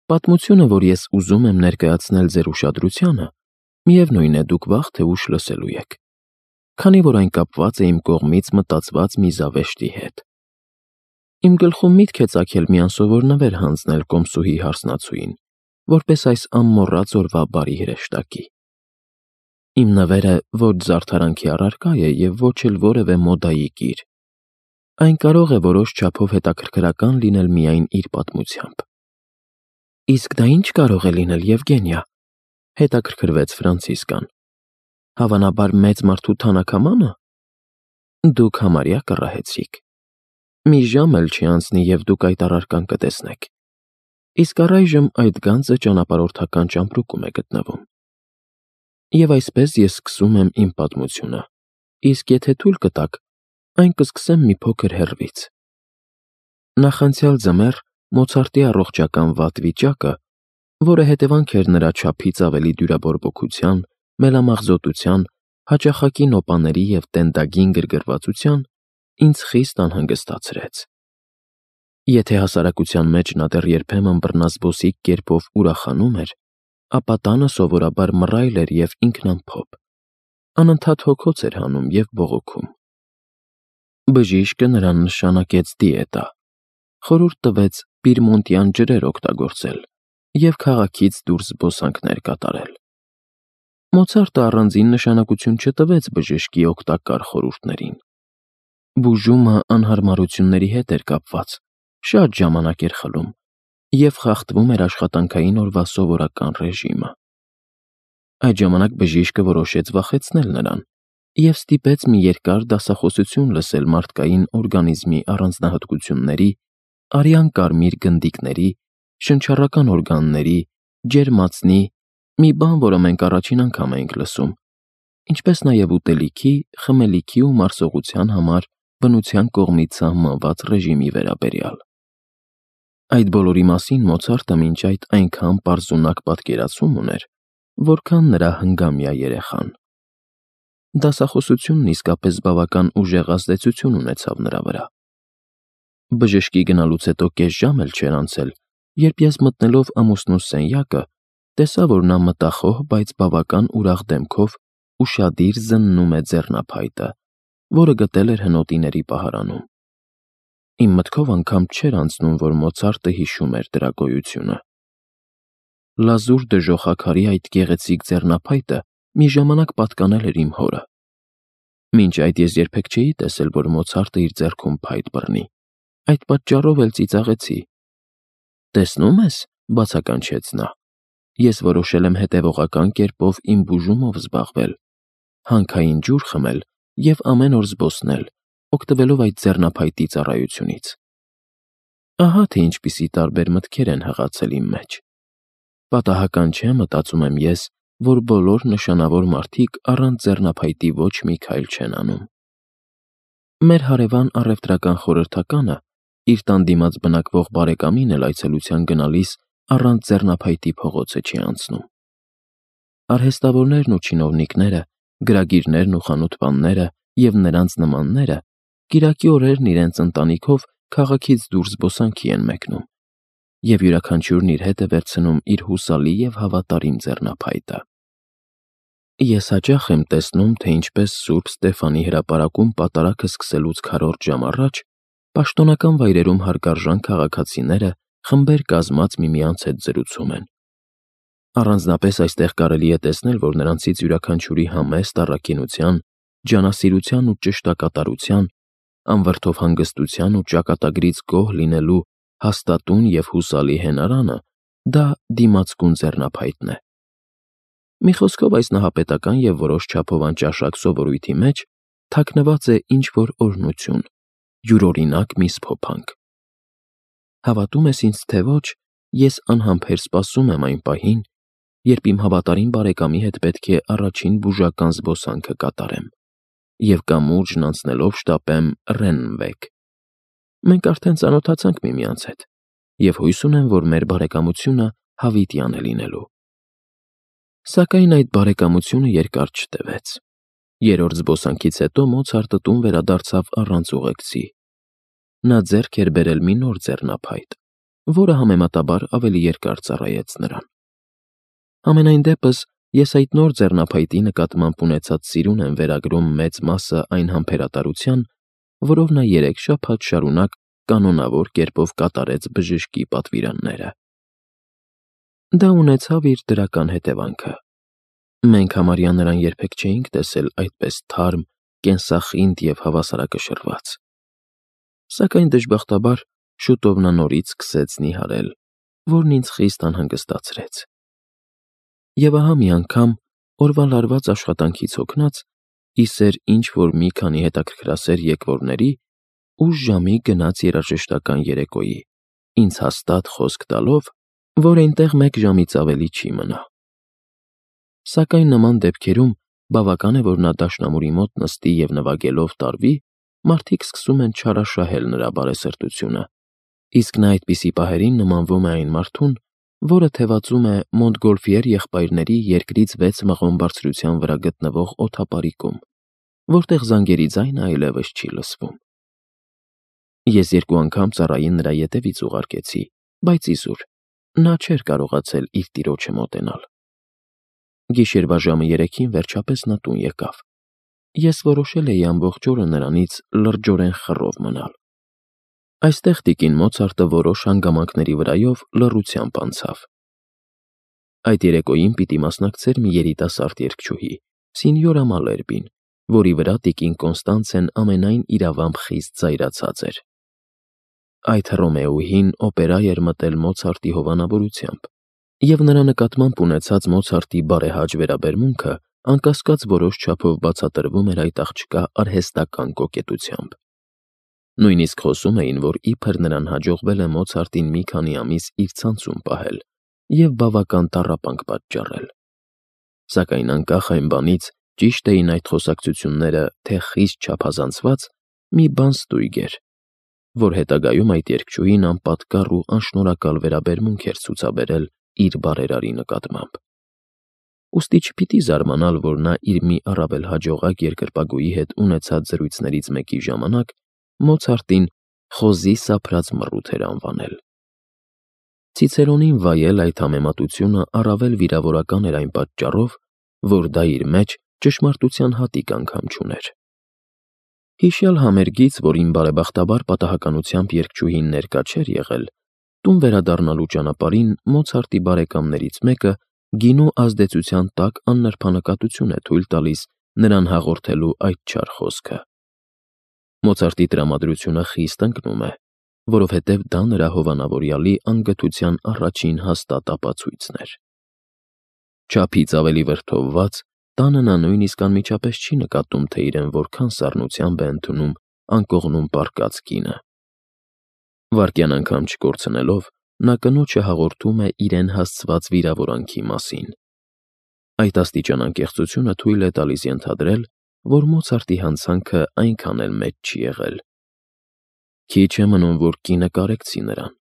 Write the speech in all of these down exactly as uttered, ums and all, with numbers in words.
Պատմությունը, որ ես ուզում եմ ներկայացնել ձեր ուշադրությանը, միևնույն է դուք վաղ թե ուշ լսելու եք, քանի որ այն կապված է իմ կողմից մտածված մի զավեշտի հետ։ Իմ գլխում միտք է ծագել մի անսովոր նվեր հանձնել կոմսուհի հարսնացուին, որպես այս ամմոռաց օրվա բարի հրեշտակի։ Իմ նվերը ոչ զարդարանքի առարկա է և ոչ էլ որևէ մոդայի կիր։ Այն կարող է որոշ չափով հետաքրքրական լինել միայն իր պատմությամբ։ Իսկ դա ի՞նչ կարող է լինել, Եվգենիա, հետաքրքրվեց Ֆրանցիսկան։ Հավանաբար մեծ մարդու թանաքամա՞նը։ Դուք համարյա կռահեցիք։ Մի ժամ էլ չի անցնի, և դուք այդ առարկան կտեսնեք։ Իսկ առայժմ այդ գանձը ճանապարհորդական ճամպրուկում է գտնվում։ Եվ այսպես ես սկսում եմ իմ պատմությունը, իսկ եթե թույլ կտաք, այն կսկսեմ մի փոքր հեռվից։ Նախանցյալ ձմեռ Մոցարտի առողջական վատ վիճակը, որը հետևանք էր նրա չափից ավելի դյուրաբորբոքության, մելամաղձոտության, հաճախակի նոպաների և տենդագին գրգռվածության, ինձ խիստ անհանգստացրեց։ Եթե հասարակության մեջ նա դեռ երբեմն բռնազբոսիկ կերպով ուրախանում էր, ապա տանը սովորաբար մռայլ էր և ինքնամփոփ, անընդհատ հոգոց էր հանում և բողոքում։ Բժիշկը նրան նշանակեց դիետա, խորհուրդ տվեց պիրմոնտյան ջրեր օգտագործել և քաղաքից դուրս զբոսանքներ կատարել։ Մոցարտը առանձին նշանակություն չտվեց բժշկի օգտակար խորհուրդներին։ Բուժումը անհարմարությունների հետ էր կապված, շատ ժամանակ էր խլում և խախտվում էր աշխատանքային օրվա սովորական ռեժիմը։ Այդ ժամանակ բժիշկը որոշեց վախեցնել նրան և ստիպեց մի երկար դասախոսություն լսել մարդկային օրգանիզմի առանձնահատկությունների, արյան կարմիր գնդիկների, շնչառական օրգանների, ջերմածնի, մի բան, որը մենք առաջին անգամ էինք լսում, ինչպես նաև ուտելիքի, խմելիքի ու մարսողության համար բնության կողմից սահմանված ռեժիմի վերաբերյալ։ Այդ բոլորի մասին Մոցարտը մինչ այդ այնքան պարզունակ պատկերացում ուներ, որքան նրա հնգամյա երեխան։ Դասախոսությունն իսկապես բավական ուժեղ ազդեցություն ունեցավ նրա վրա։ Բժշկի գնալուց հետո կես ժամ էլ չէր անցել, երբ ես մտնելով ամուսնուս սենյակը, տեսա, որ նա մտախոհ, բայց բավական ուրախ դեմքով ուշադիր զննում է ձեռնափայտը, որը գտել էր հնոտիների պահարանում։ Իմ մտքով անգամ չէր անցնում, որ Մոցարտը հիշում էր դրա գոյությունը։ Լազուր դժոխաքարի այդ գեղեցիկ ձեռնափայտը մի ժամանակ պատկանել էր իմ հորը։ Մինչ այդ ես երբեք չէի տեսել, որ Մոցարտը իր ձեռքում փայտ բռնի, այդ պատճառով էլ ծիծաղեցի։ Տեսնո՞ւմ ես, բացականչեց նա, ես որոշել եմ հետևողական կերպով իմ բուժումով զբաղվել, հանքային ջուր խմել և ամեն օր զբոսնել, օգտվելով այդ ձեռնափայտի ծառայությունից։ Ահա թե ինչպիսի տարբեր մտքեր են հղացել իմ մեջ։ Պատահական չէ, մտածում եմ ես, որ բոլոր նշանավոր մարդիկ առանց ձեռնափայտի ոչ մի քայլ չեն անում։ Մեր հարևան առևտրական խորհրդականը իր տան դիմաց բնակվող բարեկամին էլ այցելության գնալիս առանց ձեռնափայտի փողոցը չի անցնում։ Արհեստավորներն ու չինովնիկները, գրագիրներն ու խանութպանները և նրանց նմանները կիրակի օրերն իրենց ընտանիքով քաղաքից դուրս զբոսանքի են մեկնում, և յուրաքանչյուրն իր հետ է վերցնում իր հուսալի և հավատարիմ ձեռնափայտը։ Ես հաճախ եմ տեսնում, թե ինչպես Սուրբ Ստեփանի հրապարակում պատարագը սկսելուց քառորդ ժամ առաջ պաշտոնական վայրերում հարգարժան քաղաքացիները խմբեր կազմած միմյանց հետ զրուցում են։ Առանձնապես այստեղ կարելի է տեսնել, որ նրանցից յուրաքանչյուրի համեստ առաքինության, ջանասիրության ու ճշտակատարության, անվրդով հանգստության ու ճակատագրից գոհ լինելու հաստատուն և հուսալի հենարանը դա դիմացկուն ձեռնափայտն է։ Մի խոսքով, այս նահապետական և որոշ չափով անճաշակ սովորույթի մեջ թաքնված է ինչ-որ օրհնություն, յուրօրինակ մի սփոփանք։ Հավատում ես ինձ, թե ոչ, ես անհամբեր սպասում եմ այն պահին, երբ իմ հավատարիմ բարեկամի հետ պետք է առաջին բուժական զբոսանքը կատարեմ և կամուրջն անցնելով շտապեմ Ռեննվեկ։ Մենք արդեն ծանոթացանք միմյանց հետ, և հույս ունեմ, որ մեր բարեկամությունը հավիտյան է լինելու։ Սակայն այդ բարեկամությունը երկար չտևեց։ Երրորդ զբոսանքից հետո Մոցարտը տուն վերադարձավ առանց ուղեկցի։ Նա ձեռք էր բերել մի նոր ձեռնափայտ, որը համեմատաբար ավելի երկար ծառայեց նրան։ Համենայն դեպս, ես այդ նոր ձեռնափայտի նկատմամբ ունեցած սիրուն եմ վերագրում մեծ մասը այն համբերատարության, որով նա երեք շաբաթ շարունակ կանոնավոր կերպով կատարեց բժշկի պատվիրանները։ Դա ունեցավ իր դրական հետևանքը։ Մենք համարյա նրան երբեք չէինք տեսել այդպես թարմ, կենսախինդ և հավասարակշռված։ Սակայն դժբախտաբար շուտով նա նորից սկսեց նիհարել, որն ինձ խիստ անհանգստացրեց։ Եվ ահա մի անգամ, օրվա լարված աշխատանքից հոգնած, ի սեր ինչ-որ մի քանի հետաքրքրասեր եկվորների, ուշ ժամի գնաց երաժշտական երեկոյի, ինձ հաստատ խոսք տալով, որ այնտեղ մեկ ժամից ավելի չի մնա։ Սակայն նման դեպքերում բավական է, որ նա դաշնամուրի մոտ նստի և նվագելով տարվի, մարդիկ սկսում են չարաշահել նրա բարեսրտությունը, իսկ նա այդպիսի պահերին նմանվում է այն մարդուն, որը թևածում է Մոնտգոլֆիեր եղբայրների երկրից վեց մղոն բարձրության վրա գտնվող օդապարիկում, որտեղ զանգերի ձայնը այլևս չի լսվում։ Ես երկու անգամ ծառային նրա ետևից ուղարկեցի, բայց իզուր, նա չէր կարողացել իր տիրոջը մոտենալ։ Գիշերվա ժամը երեքին վերջապես նա տուն եկավ։ Ես որոշել էի ամբողջ օրը նրանից լրջորեն խռով մնալ։ Այստեղ տիկին Մոցարտը որոշ հանգամանքների վրայով լռությամբ անցավ։ Այդ երեկոյին պիտի մասնակցեր մի երիտասարդ երգչուհի, Սինյորա Մալերբին, որի վրա տիկին Կոնստանցեն ամենայն իրավամբ խիստ զայրացած էր։ Այդ Հռոմեոուհին օպերա էր մտել Մոցարտի հովանավորությամբ, և նրա նկատմամբ ունեցած Մոցարտի բարեհաճ վերաբերմունքը անկասկած որոշ չափով բացատրվում էր այդ աղջկա արհեստական կոկետությամբ։ Նույնիսկ խոսում էին, որ իբր նրան հաջողվել է Մոցարտին մի քանի ամիս իր ցանցում պահել և բավական տառապանք պատճառել։ Սակայն անկախ այն բանից, ճիշտ էին այդ խոսակցությունները, թե խիստ չափազանցված, մի բան ստույգ էր, որ հետագայում այդ երգչուհին անպատկառ ու անշնորհակալ վերաբերմունք էր ցուցաբերել իր բարերարի նկատմամբ։ Ուստի չպիտի զարմանալ, որ նա իր մի առավել հաջողակ երկրպագուի հետ ունեցած զրույցներից մեկի ժամանակ Մոցարտին խոզի սափրած մռութ էր անվանել։ Ցիցերոնին վայել այդ համեմատությունը առավել վիրավորական էր այն պատճառով, որ դա իր մեջ ճշմարտության հատիկ անգամ չուներ։ Հիշյալ համերգից, որին բարեբախտաբար պատահականությամբ երգչուհին ներկա չէր եղել, տուն վերադառնալու ճանապարհին Մոցարտի բարեկամներից մեկը գինու ազդեցության տակ աննրբանկատություն է թույլ տալիս նրան հաղորդելու այդ չար խոսքը։ Մոցարտի տրամադրությունը խիստ ընկնում է, որովհետև դա նրա հովանավորյալի անգթության առաջին հաստատ ապացույցն էր։ Չափից ավելի վրդովված, տանը նա նույնիսկ անմիջապես չի նկատում, թե իրեն որքան սառնությամբ է ընդունում անկողնում պառկած կինը։ Վայրկյան անգամ չկորցնելով, նա կնոջը հաղորդում է իրեն հասցված վիրավորանքի մասին։ Այդ աստիճան անկեղծությունը թույլ է տալիս ենթադրել, որ Մոցարտի հանցանքը այնքան էլ մեծ չի եղել։ Քիչ է մնում, որ կինը կարեկցի նրան,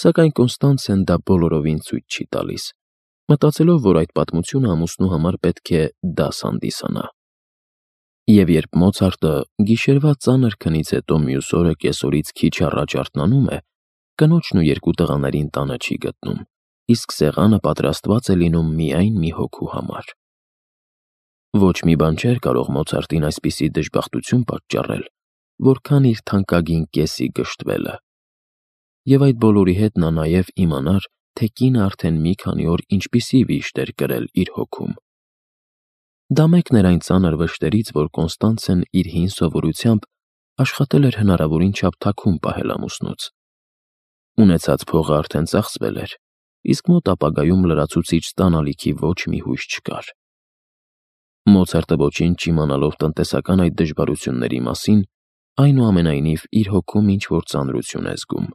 սակայն Կոնստանցեն դա բոլորովին ցույց չի տալիս, մտածելով, որ այդ պատմությունը ամուսնու համար պետք է դաս հանդիսանա։ Եվ երբ Մոցարտը գիշերվա ծանր քնից հետո մյուս օրը կեսօրից քիչ առաջ արթնանում է, կնոջն ու երկու տղաներին տանը չի գտնում, իսկ սեղանը պատրաստված է լինում միայն մի հոգու համար։ Ոչ մի բան չէր կարող Մոցարտին այսպիսի դժբախտություն պատճառել, որքան իր թանկագին կեսի գժտվելը։ Եվ այդ բոլորի հետ նա նաև իմանար, թե կինը արդեն մի քանի օր ինչպիսի վիշտ էր կրել իր հոգում։ Դա մեկն էր այն ծանր վշտերից, որ Կոնստանցեն իր հին սովորությամբ աշխատել էր հնարավորին չափ թաքուն պահել ամուսնուց։ Ունեցած փողը արդեն ծախսվել էր, իսկ մոտ ապագայում լրացուցիչ ստանալիքի ոչ մի հույս չկար։ Մոցարտը ոչինչ չիմանալով տնտեսական այդ դժվարությունների մասին, այնուամենայնիվ իր հոգում ինչ-որ ծանրություն է զգում,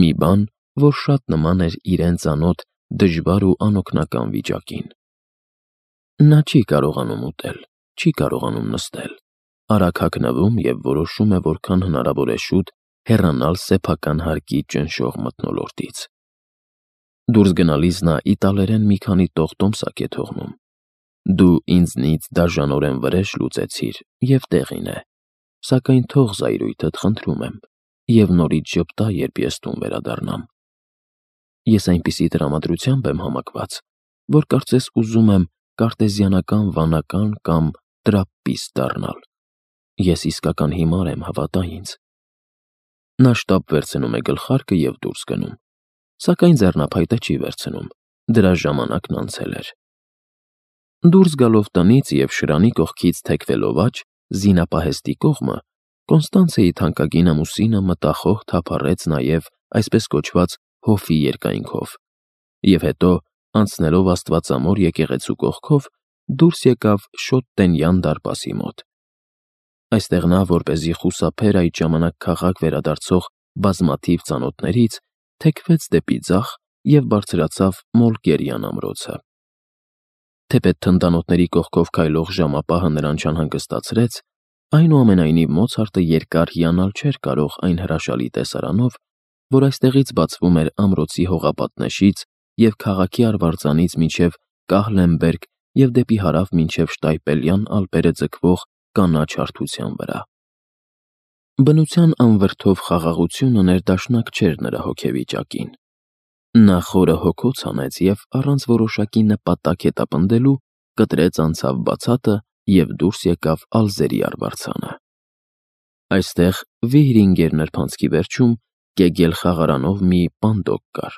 մի բան, որ շատ նման էր իրեն ծանոթ դժվար ու անօգնական վիճակին։ Նա չի կարողանում ուտել, չի կարողանում նստել, արագ հագնվում և որոշում է որքան հնարավոր է շուտ հեռանալ սեփական հարկի ճնշող մթնոլորտից։ Դուրս գնալիս նա իտալերեն մի քանի տող տոմսակ է թողնում։ Դու ինձնից դաժանորեն վրեժ լուծեցիր և տեղին է, սակայն թող զայրույթդ, խնդրում եմ, և նորից ժպտա, երբ ես տուն վերադառնամ։ Ես այնպիսի տրամադրությամբ եմ համակված, որ կարծես ուզում եմ կարտեզիանական վանական կամ տրապպիստ դառնալ։ Ես իսկական հիմար եմ, հավատա ինձ։ Նա շտապ վերցնում է գլխարկը և դուրս գնում, սակայն ձեռնափայտը չի վերցնում, դրա ժամանակն անցել էր։ Դուրս գալով տնից և շրանի կողքից թեքվելով աջ, զինապահեստի կողմը, Կոնստանցիայի թանկագին ամուսինը մտախոհ թափառեց նաև այսպես կոչված հովի երկայնքով, և հետո, անցնելով աստվածամոր եկեղեցու կողքով, դուրս եկավ շոտ տենյան դարպասի մոտ։ Այստեղ նա, որպեսզի խուսափեր այդ ժամանակ քաղաք վերադարձող բազմաթիվ ծանոթներից, թեքվեց դեպի ձախ և բարձրացավ Մոլկերյան ամրոցը։ Թեպետ թնդանոթների կողքով քայլող ժամապահը նրան չանհանգստացրեց, այնուամենայնիվ Մոցարտը երկար հիանալ չէր կարող այն հրաշալի տեսարանով, որ այստեղից բացվում էր ամրոցի հողապատնեշից և քաղաքի արվարձանից մինչև Կահլենբերգ և դեպի հարավ մինչև Շտայպելյան ալպերը ձգվող կանաչ հարթության վրա։ Բնության անվրդով խաղաղությունը ներդաշնակ չէր նրա հոգեվիճակին։ Նա խորը հոգոց հանեց և առանց որոշակի նպատակ հետապնդելու կտրեց անցավ բացատը և դուրս եկավ Ալզերի արվարձանը։ Այստեղ Վիհրինգեր նրբանցքի վերջում կեգել խաղարանով մի պանդոկ կար,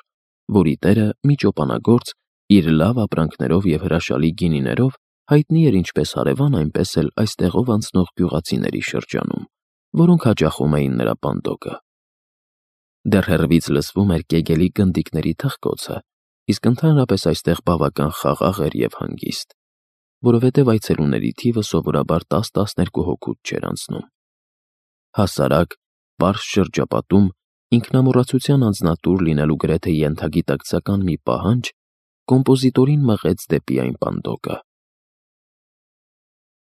որի տերը մի ճոպանագործ իր լավ ապրանքներով և հրաշալի գինիներով հայտնի էր ինչպես հարևան, այնպես էլ այստեղով անցնող գյուղացիների շրջանում, որոնք հաճախում էին նրա պանդոկը։ Դեռ հեռվից լսվում էր կեգելի գնդիկների թխկոցը, իսկ ընդհանրապես այստեղ բավական խաղաղ էր և հանգիստ, որովհետև այցելուների թիվը սովորաբար տաս֊տասներկու հոգուց չէր անցնում։ Հասարակ, պարզ շրջապատում ինքնամոռացության անձնատուր լինելու գրեթե ենթագիտակցական մի պահանջ կոմպոզիտորին մղեց դեպի այն պանդոկը։